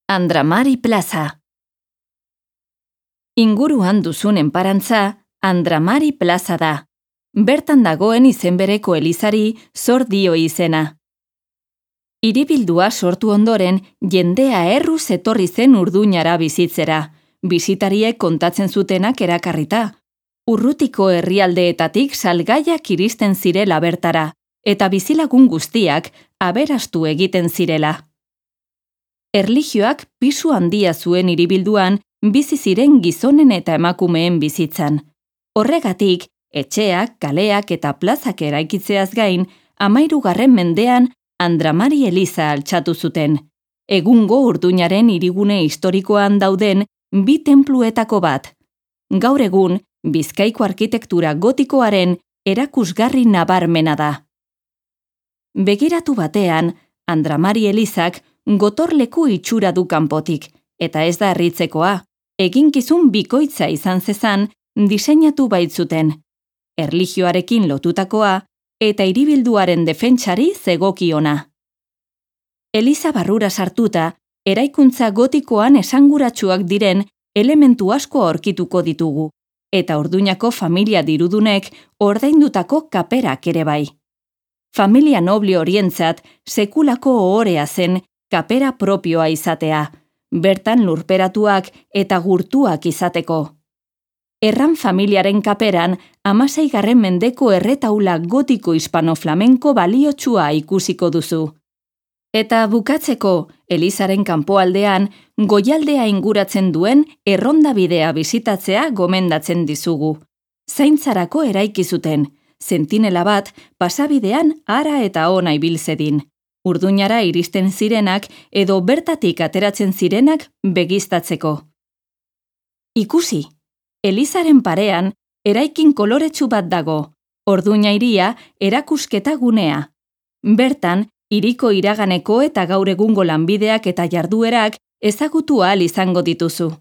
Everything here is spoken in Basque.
Andramari Plaza. Inguruan duzun enparantza, Andramari Plaza da. Bertan dagoen izenbereko elizari zor dio izena. Hiribildua sortu ondoren, jendea erruz etorri zen Urduñara bizitzera, bisitariek kontatzen zutenak erakarrita. Urrutiko herrialdeetatik salgaiak iristen zirela bertara, eta bizilagun guztiak aberastu egiten zirela. Erlijioak pisu handia zuen hiribilduan bizi ziren gizonen eta emakumeen bizitzan. Horregatik, etxeak, kaleak eta plazak eraikitzeaz gain, 13. mendean Andramari Eliza altxatu zuten. Egungo Urduñaren hirigune historikoan dauden 2 tenpluetako bat. Gaur egun, Bizkaiko arkitektura gotikoaren erakusgarri nabarmena da. Begiratu batean, Andramari Elizak gotorleku itxura du kanpotik, eta ez da harritzekoa, eginkizun bikoitza izan zezan diseinatu baitzuten. Erlijioarekin lotutakoa eta hiribilduaren defentsari zegokiona. Eliza barrura sartuta, eraikuntza gotikoan esanguratsuak diren elementu asko aurkituko ditugu, eta Urduñako familia dirudunek ordaindutako kaperak ere bai. Familia noble horientzat sekulako ohorea zen kapera propioa izatea, bertan lurperatuak eta gurtuak izateko. Erran familiaren kaperan 16. mendeko erretaula gotiko hispano-flamenko baliotsua ikusiko duzu. Eta bukatzeko, Elizaren kanpoaldean, goialdea inguratzen duen errondabidea bisitatzea gomendatzen dizugu. Zaintzarako eraiki zuten, sentinela bat pasabidean hara eta ona ibilzedin. Urduñara iristen zirenak edo bertatik ateratzen zirenak begiztatzeko. Ikusi, Elizaren parean eraikin koloretsu bat dago, Orduña hiria erakusketa gunea. Bertan, hiriko iraganeko eta gaur egungo lanbideak eta jarduerak ezagutu ahal izango dituzu.